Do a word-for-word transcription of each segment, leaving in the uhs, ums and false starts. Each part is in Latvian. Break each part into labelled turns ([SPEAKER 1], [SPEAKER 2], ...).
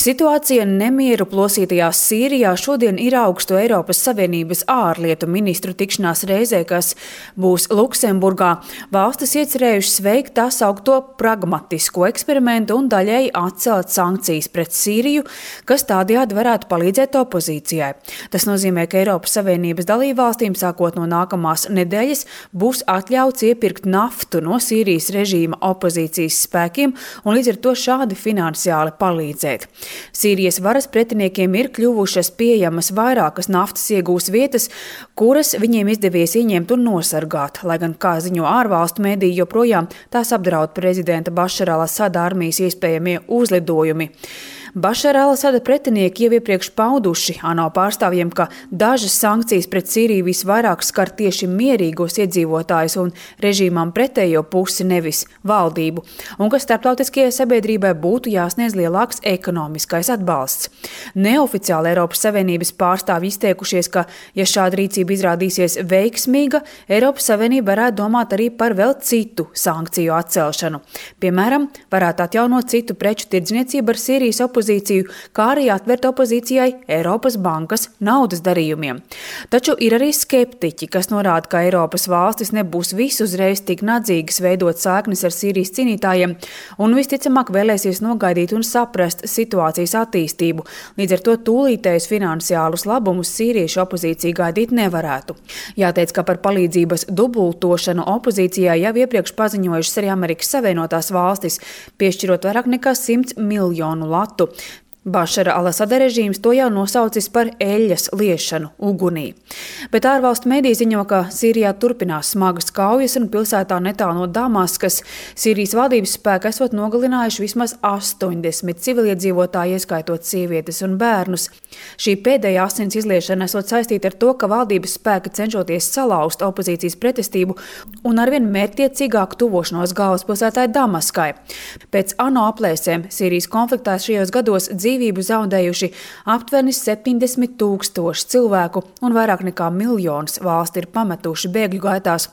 [SPEAKER 1] Situācija nemieru plosītajā Sīrijā šodien ir augstu Eiropas Savienības ārlietu ministru tikšanās reizē, kas būs Luksemburgā. Valstis iecerējušas veikt tā saukto pragmatisko eksperimentu un daļēji atcelt sankcijas pret Sīriju, kas tādējādi varētu palīdzēt opozīcijai. Tas nozīmē, ka Eiropas Savienības dalībvalstīm sākot no nākamās nedēļas būs atļauts iepirkt naftu no Sīrijas režīma opozīcijas spēkiem un līdz ar to šādi finansiāli palīdzēt. Sīrijas varas pretiniekiem ir kļuvušas pieejamas vairākas naftas iegūs vietas, kuras viņiem izdevies ieņemt un nosargāt, lai gan, kā ziņo ārvalstu mediji, joprojām tās apdraud prezidenta Bašara al-Asada armijas iespējamie uzlidojumi. Bašara al-Asada pretinieki jau iepriekš pauduši ANO pārstāvjiem, ka dažas sankcijas pret Sīriju visvairāk skar tieši mierīgos iedzīvotājus un režīmām pretējo pusi, nevis valdību, un ka starptautiskajai sabiedrībai būtu jāsniedz lielāks ekonomiskais atbalsts. Neoficiāli Eiropas Savienības pārstāvji izteikušies, ka, ja šāda rīcība izrādīsies veiksmīga, Eiropas Savienība varētu domāt arī par vēl citu sankciju atcelšanu. Piemēram, varētu atjaunot citu preču tirdzniecību ar Sīrijas opozīciju, kā arī atvērt opozīcijai Eiropas bankas naudas darījumiem. Taču ir arī skeptiķi, kas norāda, ka Eiropas valstis nebūs visu uzreiz tik nadzīgas veidot saiknes ar Sīrijas cīnītājiem un visticamāk vēlēsies nogaidīt un saprast situācijas attīstību. Līdz ar to tūlītējus finansiālus labumus sīriešu opozīcija gaidīt nevarētu. Jāteic, ka par palīdzības dubultošanu opozīcijai jau iepriekš paziņojušas arī Amerikas Savienotās valstis, piešķirot vairāk nekā simts miljonu latu. Bašara al-Asada režīms to jau nosaucis par eļļas liešanu ugunī. Bet ārvalstu mediji ziņo, ka Sīrijā turpinās smagas kaujas un pilsētā netālu no Damaskas Sīrijas valdības spēki esot nogalinājuši vismaz astoņdesmit civiliedzīvotāji, ieskaitot sievietes un bērnus. Šī pēdējā asins izliešana esot saistīta ar to, ka valdības spēki cenšoties salauzt opozīcijas pretestību un arvien mērķtiecīgāk tuvošanos galvaspilsētai Damaskai. Pēc ANO aplēsēm Sīrijas konfliktā šajos gados dzīvības Dzīvību zaudējuši aptuveni septiņdesmit tūkstoši cilvēku un vairāk nekā miljons valsti ir pametuši bēgļu gaitās.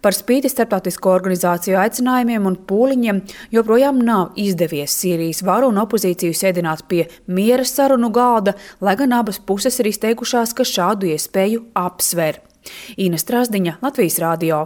[SPEAKER 1] Par spīti starptautisko organizāciju aicinājumiem un pūliņiem joprojām nav izdevies Sīrijas varu un opozīciju sēdināt pie miera sarunu galda, lai gan abas puses ir izteikušās, ka šādu iespēju apsver. Ina Strasdiņa, Latvijas radio.